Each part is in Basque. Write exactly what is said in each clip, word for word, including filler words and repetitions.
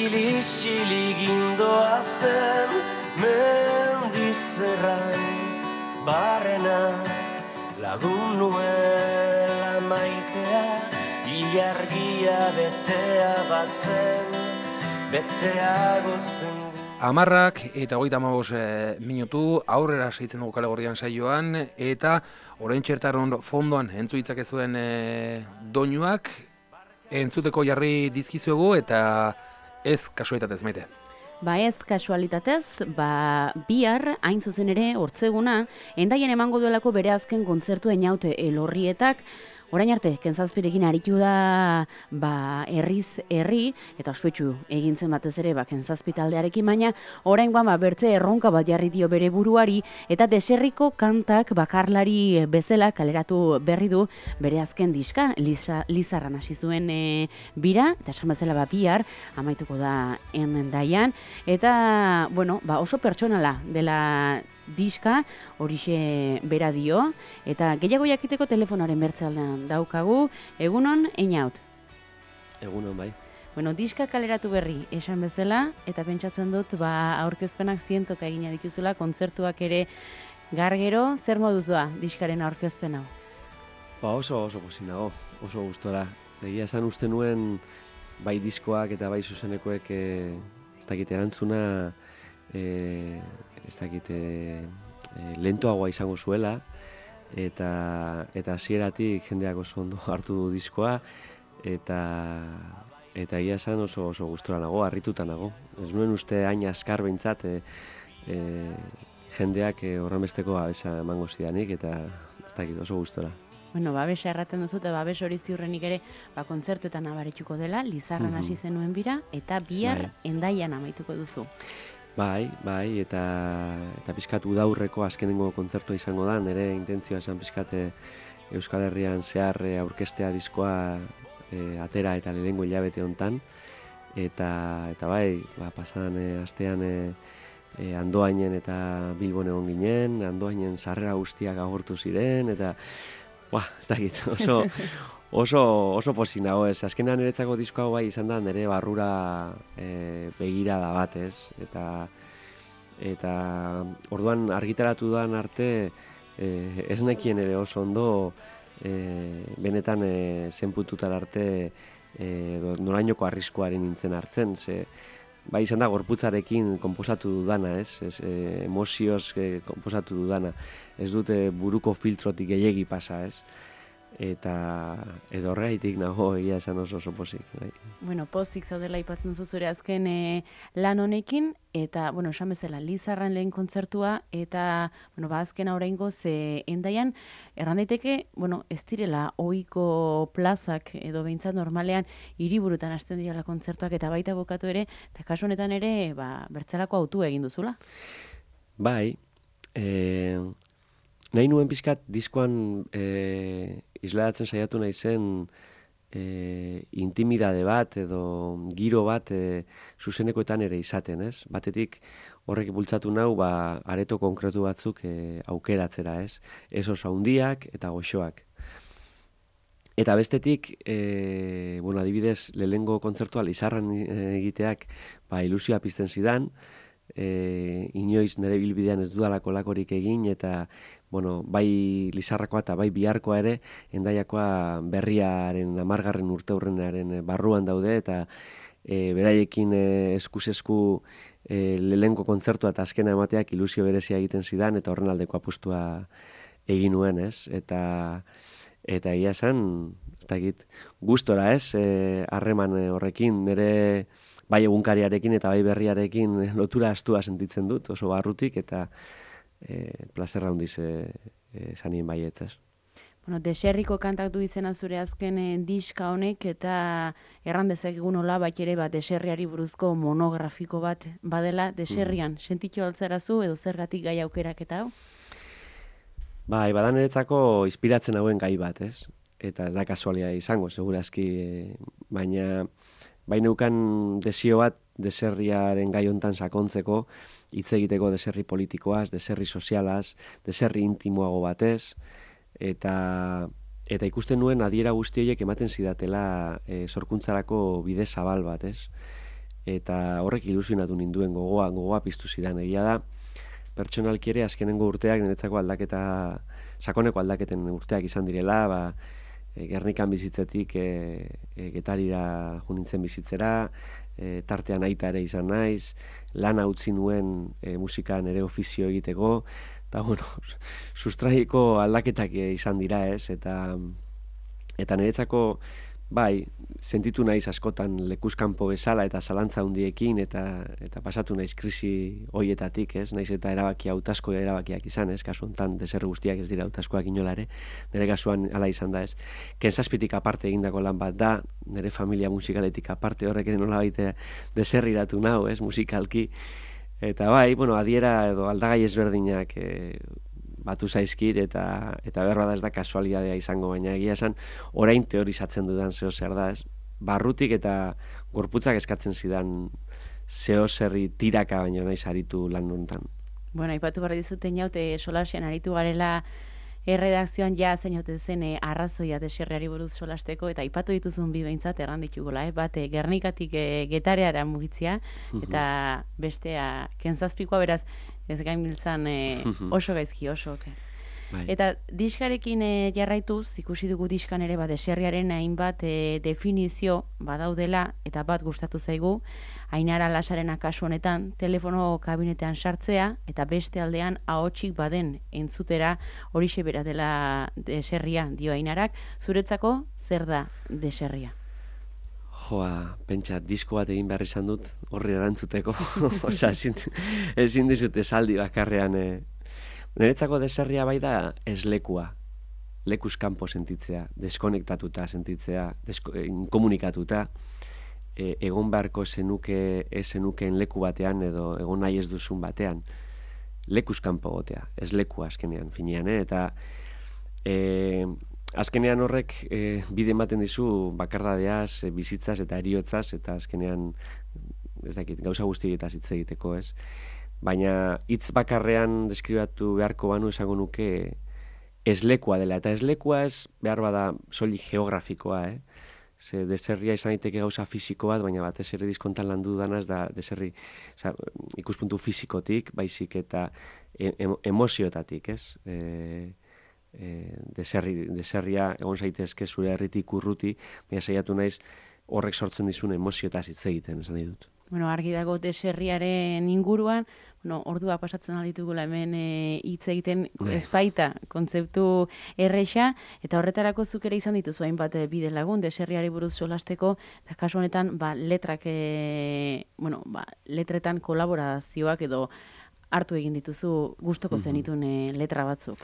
Isili-isili gindoa zen mendizerran barrena lagun nuela maitea ilargia betea bazen beteago zen. Amarrak eta hogeita hamabost minutu aurrera segitzen dugu Kale Gorrian saioan eta orain txertaron fondoan entzu ditzakezuen e, doinuak entzuteko jarri dizkizuegu eta ez kasualitatez, Maite. Ba ez kasualitatez, ba bihar hain zuzen ere hortzeguna Hendaian emango duelako bere azken kontzertu Einaute Elorrietak. Orain arte, Kentzazpirekin aritu da ba, herriz herri, eta ospetsu egintzen batez ere ba, Kentzazpi taldearekin, baina orain ba, bertze erronka bat jarri dio bere buruari, eta deserriko kantak bakarlari bezala kaleratu berri du bere azken diska, Liza, Lizarran hasi zuen e, bira, eta esan bezala ba, bihar, amaituko da Hendaian, eta bueno, ba, oso pertsonala dela diska, horixe bera dio, eta gehiago jakiteko telefonoaren bertzaldean daukagu. Egunon, Einaut? Egunon, bai. Bueno, diska kaleratu berri esan bezala, eta pentsatzen dut, ba, aurkezpenak zientoka egina dituzula, kontzertuak ere gargero, zer moduzua diskaren aurkezpen hau? Ba, oso oso pozik nago, oso gustora. Egia esan uste nuen, bai diskoak eta bai zuzenekoek e, ez dakit erantzuna, e, ez dakit e, e, lentoagoa izango zuela, eta eta hasieratik jendeak oso ondo hartu du diskoa, eta eta egia esan oso oso gustora nago, harrituta nago. Ez nuen uste hain askar behintzat e, e, jendeak e, horrenbesteko babesa emango zidanik, eta ez dakit oso gustora. Bueno, babesa erraten duzu, eta babes hori ziurrenik ere ba, kontzertuetan abarituko dela, Lizarran hasi Mhm. zenuen bira, eta bihar Bai. Hendaian amaituko duzu. Bai, bai, eta eta pixkat udaurreko azkenengo kontzertua izango da, nire intentzioa esan pixkat e, Euskal Herrian zehar e, aurkestea diskoa e, atera eta lehengo hilabete hontan, eta eta bai, ba, pasadan e, astean e, e, Andoainen eta Bilbon egon ginen, Andoainen sarrera guztiak agortu ziren, eta ba, ez dakit, oso oso oso pozik nago, ez. Azkenean niretzako disko hau bai izan da nire barrura e, begirada bat, ez. Eta eta orduan argitaratu dan arte e, ez nekien ere oso ondo e, benetan e, zen puntutar arte e, norainoko arriskuaren nintzen hartzen, ze bai izan da gorputzarekin konposatu dudana, ez, ez e, emozioz e, konposatu dudana, ez dute buruko filtrotik gehiegi pasa, ez, eta edo horreitik nago egia esan oso oso pozik. Bai. Bueno, pozik zaudela aipatzen zu zure azken e, lan honekin, eta, bueno, esan bezala, Lizarran lehen kontzertua, eta, bueno, ba, azkena oraingoz e, Hendaian, erran daiteke, bueno, ez direla ohiko plazak, edo behintzat normalean, hiriburutan hasten direla kontzertuak, eta baita bukatu ere, eta kasu honetan ere, ba, bertzalako autu egin duzula. Bai, e, nahi nuen pixkat diskoan e, isladatzen saiatu nahi zen e, intimidade bat edo giro bat e, zuzenekoetan ere izaten, ez? Batetik horrek bultzatu nau ba, areto konkretu batzuk e, aukeratzera, ez? Ez oso handiak eta goxoak. Eta bestetik, e, bueno, adibidez, lehengo kontzertua Lizarran egiteak ba, ilusioa pizten zidan, e, inoiz nire bilbidean ez dudalako lakorik egin, eta bueno, bai Lizarrakoa eta bai biharkoa ere Hendaiakoa berriaren amargarren urteurrenaren barruan daude, eta e, beraiekin e, eskuz-esku e, lehenko kontzertua eta azkena emateak ilusio berezia egiten zidan, eta horren aldeko apustua egin nuen, ez? Eta eta egia esan, ez dakit, gustora, ez? Harreman e, horrekin, nire bai egunkariarekin eta bai berriarekin lotura astua sentitzen dut, oso barrutik, eta e, plazerra handiz e, e, zanien baietzaz. Bueno, deserriko kantak du izena zure azken e, diska honek, eta erran dezakegun hola bat ere bat deserriari buruzko monografiko bat badela deserrian. Mm. Sentitu altzarazu edo zergatik gai aukerak eta hau? Bai, badan niretzako inspiratzen hauen gai bat, ez? Eta ez da kasualia izango, segurazki, e, baina bai neukan desio bat deserriaren gai hontan sakontzeko, hitz egiteko deserri politikoaz, deserri sozialaz, deserri intimoago batez, eta eta ikusten nuen adiera guzti horiek ematen zidatela e, sorkuntzarako bide zabal bat, ez? eta horrek ilusionatu ninduen gogoa, gogoa piztu zidan. Egia da, pertsonalki ere azkenengo urteak niretzako aldaketa, sakoneko aldaketen urteak izan direla, ba, e, Gernikan bizitzetik e, e, Getarira jo nintzen bizitzera, e, tartean aita ere izan naiz, lana utzi nuen e, musikan ere ofizio egiteko, eta bueno, sustraiko aldaketak izan dira ez, eta, eta niretzako, bai, sentitu naiz askotan lekuzkanpo bezala eta zalantza handiekin eta eta pasatu naiz krisi hoietatik, ez? Naiz eta erabaki hautazko erabakiak izan, ez? Kasu hontan deser guztiak ez dira hautazkoak inola ere. Nire kasuan hala izan da, ez? Kentzazpitik aparte egindako lan bat da, nire familia musikaletik aparte horrek ere nolabait deserriratu nau, ez? Musikalki. Eta bai, bueno, adiera edo aldagai ezberdinak e, batu zaizkit eta eta berroa da ez da kasualidadea izango, baina egia esan orain teorizatzen dudan zeo zer da, ez? Barrutik eta gorputzak eskatzen zidan zeo zerri tiraka baino naiz aritu lan hontan. Bueno, aipatu behar dizuten jaute solasean aritu garela erredakzioan ja zeinote zen e, arrazoia deserriari buruz solasteko, eta aipatu dituzun bi behintzat erran ditugola, eh? Bate Gernikatik e, Getareara mugitzia, eta bestea Kentzazpikoa, beraz ez gainbiltzan e, oso gaizki, oso. Okay. Bai. Eta diskarekin e, jarraituz, ikusi dugu diskan ere, ba, deserriaren hainbat e, definizio badaudela, eta bat gustatu zaigu, Ainara Lasarena kasu honetan, telefono kabinetean sartzea, eta beste aldean ahotsik baden entzutera horixe bera dela deserria, dio Ainarak. Zuretzako, zer da deserria? Joa, pentsa, disko bat egin behar izan dut, horri erantzuteko. Osa, ezin, ezin dizut esaldi bakarrean. Eh. Niretzako deserria bai da eslekua. Lekuz kanpo sentitzea, deskonektatuta sentitzea, desko, inkomunikatuta. E, egon beharko zenuke, ez zenukeen leku batean edo egon nahi ez duzun batean. Lekuz kanpo gotea, ez lekua azkenean, finean, eh? Eta e, azkenean horrek e, bide ematen dizu bakardadeaz, e, bizitzaz eta eriotzaz, eta azkenean ez dakit, gauza guztietaz hitz egiteko, ez? Baina hitz bakarrean deskribatu beharko banu esango nuke ez lekua dela, eta ez lekua ez behar bada soilik geografikoa, eh? Ze deserria izan daiteke gauza fisiko bat, baina batez ere diskontan landu danaz da deserri, oza, ikuspuntu fisikotik, baizik eta em emozioetatik, ez? E, e, deserri, deserria egon zaitezke zure herritik urruti, baina saiatu naiz horrek sortzen dizun emozioetaz hitz egiten, esan nahi dut. Bueno, argi dago deserriaren inguruan, bueno, ordua pasatzen alditugula hemen hitz e, egiten ez baita kontzeptu erresa, eta horretarako zuk ere izan dituzu hainbat bide lagun deserriari buruz solasteko, eta kasu honetan ba, letrak, e, bueno, ba, letretan kolaborazioak edo hartu egin dituzu gustoko zenitun e, letra batzuk.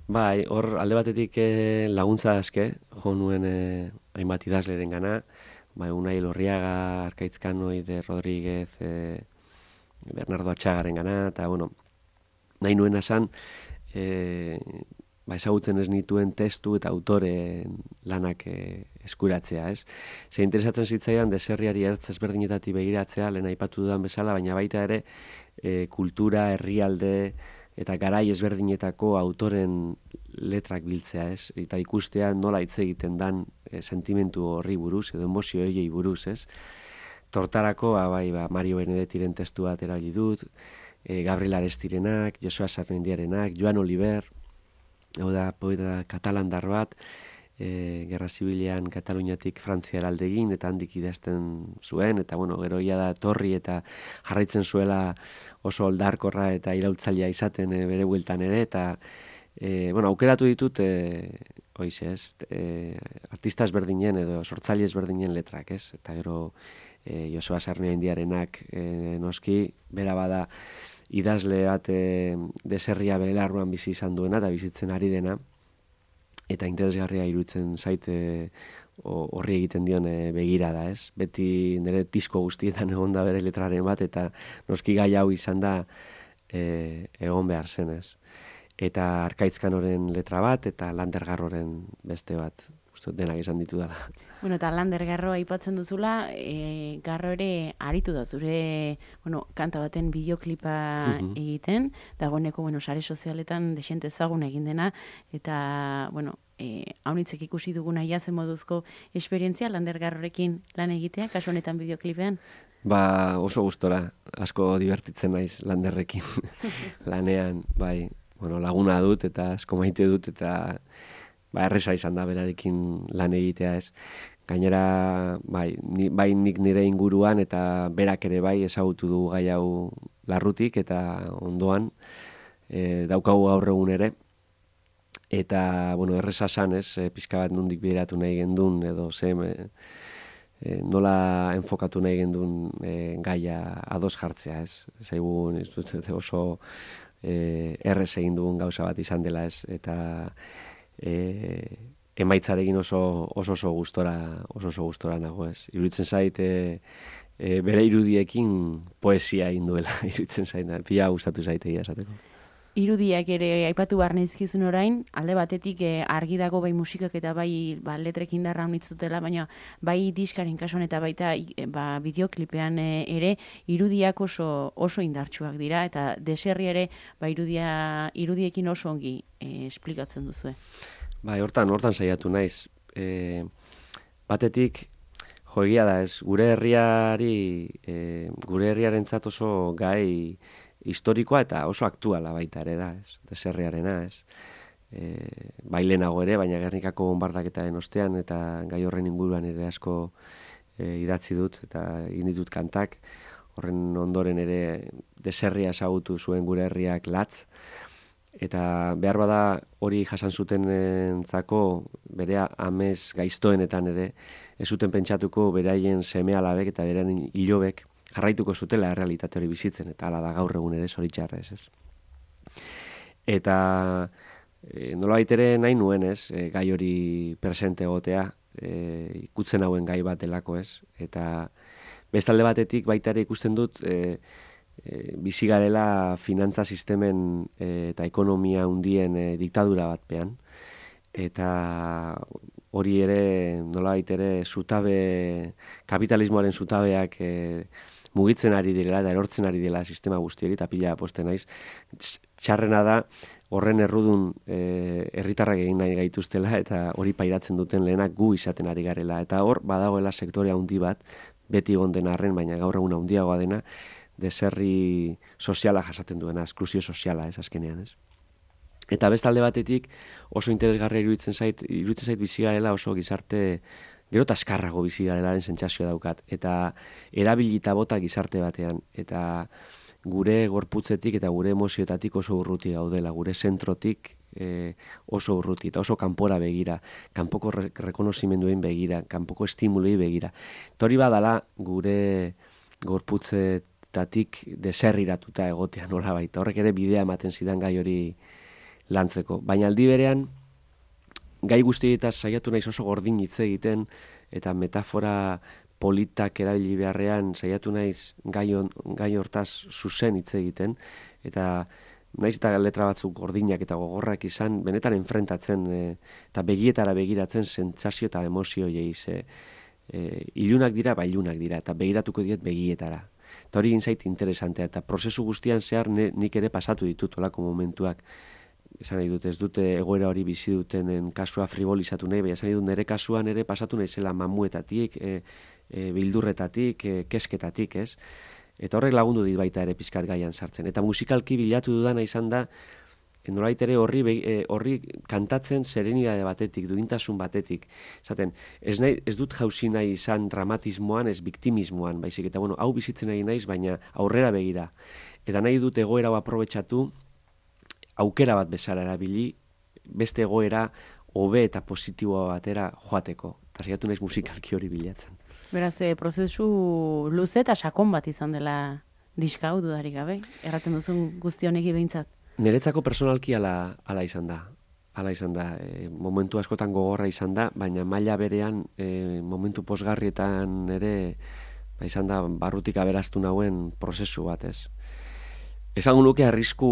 Bai, hor alde batetik e, laguntza aske, jo nuen e, hainbat idazleren gana, bai, Unai Lorriaga, Arkaitz Kanoide, Rodríguez, e, Bernardo Atxagaren gana, eta, bueno, nahi nuen esan, e, ba, ezagutzen ez nituen testu eta autoren lanak e, eskuratzea, ez? Ze interesatzen zitzaidan deserriari ertz ezberdinetatik begiratzea, lehen aipatu dudan bezala, baina baita ere e, kultura, herrialde eta garai ezberdinetako autoren letrak biltzea, ez? Eta ikustea nola hitz egiten dan e, sentimentu horri buruz, edo emozio horiei buruz, ez? Tortarako, ba, bai, ba, Mario Benedettiren testu bat erabili dut, e, Gabriel Arestirenak, Josua Sarmendiarenak, Joan Oliver, hau da, poeta katalandar bat, e, Gerra Zibilean Kataluniatik Frantziara alde egin, eta handik idazten zuen, eta, bueno, gero ia da torri eta jarraitzen zuela oso oldarkorra eta iraultzailea izaten e, bere bueltan ere, eta E, bueno, aukeratu ditut, e, oize, ez, e, artista ezberdinen edo sortzaile ezberdinen letrak, ez? Eta gero e, Joseba Sarmendiarenak e, noski, bera bada idazle bat e, deserria bere larruan bizi izan duena eta bizitzen ari dena, eta interesgarria iruditzen zaite horri egiten dion e, begirada, ez? Beti nire disko guztietan egon da bere letraren bat, eta noski gai hau izan da e, egon behar zenez. Eta Arkaitz Kanoren letra bat, eta Lander Garroren beste bat, uste denak izan ditu dela. Bueno, eta Lander Garro aipatzen duzula, e, Garro ere aritu da zure, bueno, kanta baten bideoklipa uh-huh. egiten, dagoeneko, bueno, sare sozialetan desente ezagun egin dena, eta, bueno, e, haunitzek ikusi duguna jazen moduzko esperientzia Landergarrorekin lan egitea, kasu honetan bideoklipean? Ba, oso gustora, asko divertitzen naiz Landerrekin lanean, bai, bueno, laguna dut eta asko maite dut eta ba, erresa izan da berarekin lan egitea ez. Gainera, bai, ni, bai nik nire inguruan eta berak ere bai ezagutu du gai hau larrutik eta ondoan e, daukagu gaur egun ere. Eta, bueno, erresa san ez, e, pizka bat nondik bideratu nahi gendun edo ze e, nola enfokatu nahi gendun e, gaia ados jartzea ez. Zaigun, ez dut, oso e, errez egin dugun gauza bat izan dela ez. Eta e, emaitzarekin oso oso oso gustora oso oso gustora nago ez. Iruditzen zait e, e, bere irudiekin poesia egin duela iruditzen zait. Pila gustatu zaitegia esateko. Irudiak ere aipatu behar nizkizun orain, alde batetik eh, argi dago bai musikak eta bai ba, letrekin darra honitzutela, baina bai diskaren kasuan eta baita eh, ba, bideoklipean eh, ere irudiak oso oso indartsuak dira eta deserri ere ba, irudia, irudiekin oso ongi eh, esplikatzen duzue. Bai, hortan, hortan saiatu naiz. E, batetik, jo egia da ez, gure herriari, e, gure herriarentzat oso gai historikoa eta oso aktuala baita ere da, ez, deserriarena, ez. E, bai lehenago ere, baina Gernikako bonbardaketaren ostean eta gai horren inguruan ere asko e, idatzi dut eta egin ditut kantak. Horren ondoren ere deserria ezagutu zuen gure herriak latz. Eta behar bada hori jasan zutenentzako bere amez gaiztoenetan ere ez zuten pentsatuko beraien seme-alabek eta beraien ilobek jarraituko zutela errealitate hori bizitzen eta hala da gaur egun ere zoritxarrez, ez. Eta e, nolabait ere nahi nuen, ez, e, gai hori presente egotea, e, ikutzen hauen gai bat delako, ez. Eta bestalde batetik baita ere ikusten dut e, E, bizi garela finantza sistemen e, eta ekonomia hundien e, diktadura batpean. Eta hori ere, nolabait ere, zutabe, kapitalismoaren zutabeak e, mugitzen ari direla eta erortzen ari dela sistema guztieri, eta pila posten naiz. Txarrena da, horren errudun e, herritarrak egin nahi gaituztela eta hori pairatzen duten lehenak gu izaten ari garela. Eta hor, badagoela sektorea handi bat, beti egon dena arren, baina gaur egun handiagoa dena, deserri soziala jasaten duena, esklusio soziala ez azkenean, ez. Eta bestalde batetik oso interesgarria iruditzen zait, iruditzen zait bizi garela oso gizarte gero eta azkarrago bizi garelaren sentsazioa daukat eta erabilita bota gizarte batean eta gure gorputzetik eta gure emozioetatik oso urruti gaudela, gure zentrotik e, oso urruti eta oso kanpora begira, kanpoko re rekonozimenduen begira, kanpoko estimului begira. Tori badala gure gorputze tatik deserriratuta egotea nola baita. Horrek ere bidea ematen zidan gai hori lantzeko. Baina aldi berean, gai guztietaz saiatu naiz oso gordin hitz egiten, eta metafora politak erabili beharrean saiatu naiz gai, on, gai hortaz zuzen hitz egiten, eta naiz eta letra batzuk gordinak eta gogorrak izan, benetan enfrentatzen e, eta begietara begiratzen sentsazio eta emozio jeiz. E, e, ilunak dira, ba ilunak dira, eta begiratuko diet begietara. Eta hori egin zait interesantea, eta prozesu guztian zehar ne, nik ere pasatu ditut olako momentuak. Esan nahi dut, ez dute egoera hori bizi dutenen kasua frivolizatu nahi, baina esan nahi dut nire kasuan ere pasatu nahi zela mamuetatik, e, e, bildurretatik, e, kesketatik, ez? Eta horrek lagundu dit baita ere pizkat gaian sartzen. Eta musikalki bilatu dudana izan da, nolait ere horri, e, horri kantatzen serenidade batetik, duintasun batetik. Zaten, ez, nahi, ez dut jauzi nahi izan dramatismoan, ez biktimismoan, baizik, eta bueno, hau bizitzen nahi naiz, baina aurrera begira. Eta nahi dut egoera hau aprobetxatu, aukera bat bezala erabili, beste egoera hobe eta positiboa batera joateko. Eta saiatu naiz musikalki hori bilatzen. Beraz, e, prozesu luze eta sakon bat izan dela diska hau dudarik gabe, erraten duzun guzti honeki behintzat. Niretzako personalki ala, ala izan da. Ala izan da. E, momentu askotan gogorra izan da, baina maila berean e, momentu posgarrietan ere ba, izan da barrutik aberaztu nauen prozesu bat, ez. Esango nuke arrisku,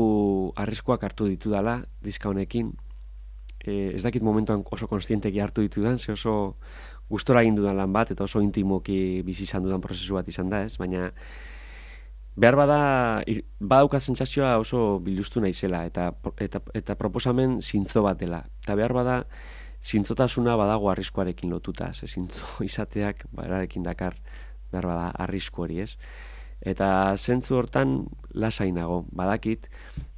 arriskuak hartu ditu dala diska honekin. E, ez dakit momentuan oso konstienteki hartu ditudan, ze oso gustora egin dudan lan bat, eta oso intimoki bizi izan dudan prozesu bat izan da, ez, baina behar bada, badauka sentsazioa oso biluztu naizela, eta, eta, eta proposamen zintzo bat dela. Eta behar bada, zintzotasuna badago arriskuarekin lotuta, ze zintzo izateak berarekin dakar behar bada arrisku hori, ez? Eta zentzu hortan lasainago, badakit,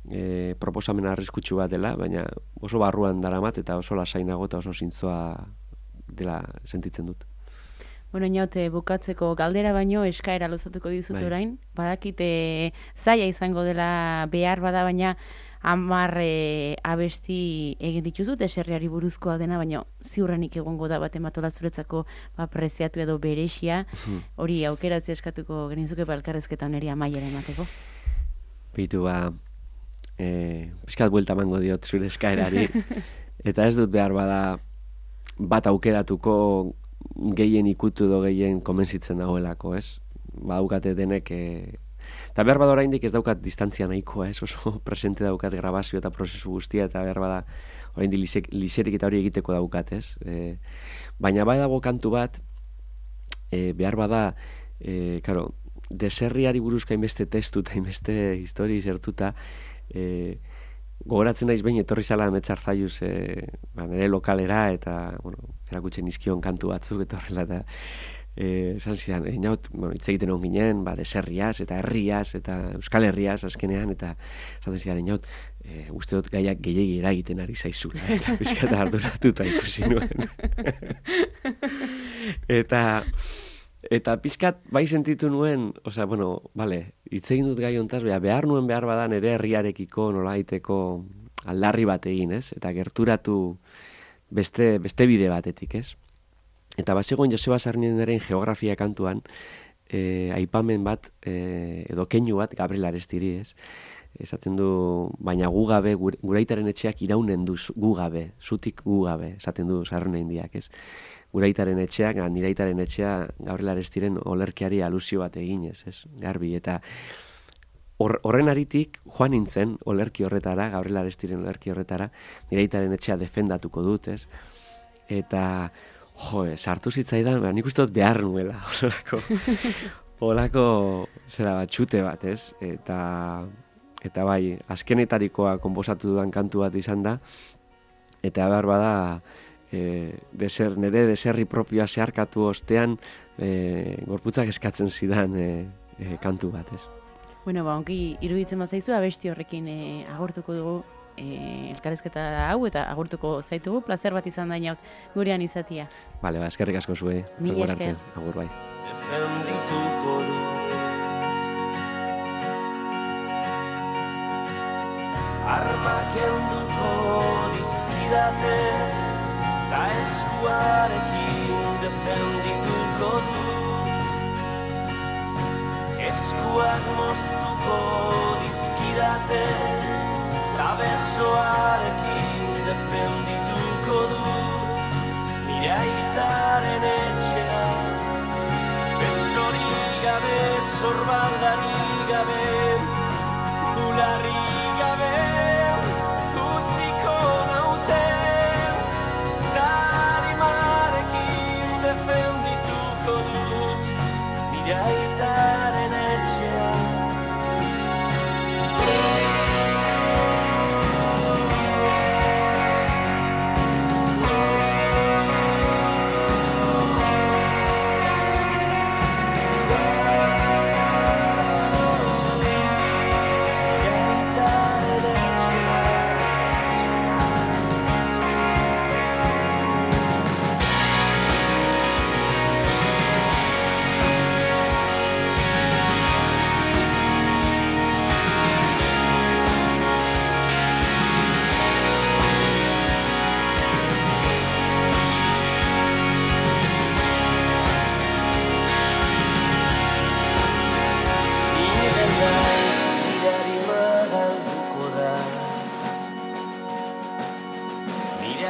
e, proposamena arriskutsu bat dela, baina oso barruan daramat eta oso lasainago eta oso zintzoa dela sentitzen dut. Bueno, inaute, bukatzeko galdera baino eskaera luzatuko dizut Bai. orain. Badakite zaila izango dela behar bada, baina hamar e, abesti egin dituzu, deserriari buruzkoa dena, baina ziurrenik egongo da bat ematola zuretzako ba, preziatu edo beresia. Hori aukeratzea eskatuko genizuke balkarrezketan eri amaiera emateko. Bitu ba, e, pizkat buelta emango diot zure eskaerari. Eta ez dut behar bada bat aukeratuko gehien ikutu edo gehien komentzitzen dagoelako, ez? Badaukate denek, e... eta behar bada oraindik ez daukat distantzia nahikoa, ez? Oso presente daukat grabazio eta prozesu guztia, eta behar bada oraindik liserik eta hori egiteko daukat, ez? E... Baina bai dago kantu bat, e, behar bada, e, karo, deserriari buruzka inbeste testu eta inbeste histori zertuta, e, gogoratzen naiz behin etorri zala Ametxar Zaiuz e, ba, nire lokalera eta bueno, erakutzen izkion kantu batzuk eta horrela eta e, esan zidan, e, naut, bueno, hitz egiten hon ginen, ba, deserriaz eta herriaz eta Euskal Herriaz azkenean eta esaten zidan, naut, e, uste dut gaiak gehiegi eragiten ari zaizula eta pixkat arduratuta ikusi nuen. eta Eta pizkat bai sentitu nuen, osea, bueno, vale, hitz egin dut gai hontaz, behar nuen behar badan ere herriarekiko nolaiteko aldarri bat egin, ez? Eta gerturatu beste, beste bide batetik, ez? Eta bazegoen Joseba Sarnienaren geografia kantuan, eh, aipamen bat, eh, edo keinu bat, Gabriel Arestiri, ez? Esaten du, baina gu gabe, guraitaren etxeak iraunen du gu gabe, zutik gu gabe, esaten du Sarniendiak, ez? Guraitaren etxeak, niraitaren etxea Gabriel Arestiren olerkiari alusio bat eginez, ez? Garbi, eta horren aritik joan nintzen olerki horretara, Gabriel Arestiren olerki horretara, niraitaren etxea defendatuko dut, ez? Eta, jo, sartu zitzaidan, ba, nik uste dut behar nuela, olako, olako, zera bat, txute bat, ez? Eta, eta bai, azkenetarikoa konposatu dudan kantu bat izan da, eta behar bada, E, deser, nire deserri propioa zeharkatu ostean e, gorputzak eskatzen zidan e, e, kantu bat, ez? Bueno, ba, onki iruditzen bazaizu, abesti horrekin e, agurtuko dugu e, elkarrezketa hau eta agurtuko zaitugu, placer bat izan dainaut gurean izatia. Bale, ba, eskerrik asko zue. Mila esker. Agur bai. Defendituko du armak enduko dizkidate ta eskuarekin defendituko du eskuak moztuko dizkidate ta besoarekin defendituko du nire aitaren etxea besorik gabe, sorbaldarik gabe, bularrik gabe defendituko dut nire aitaren etxea.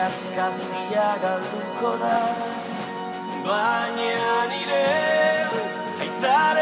Askazia galduko da, baina nire aitaren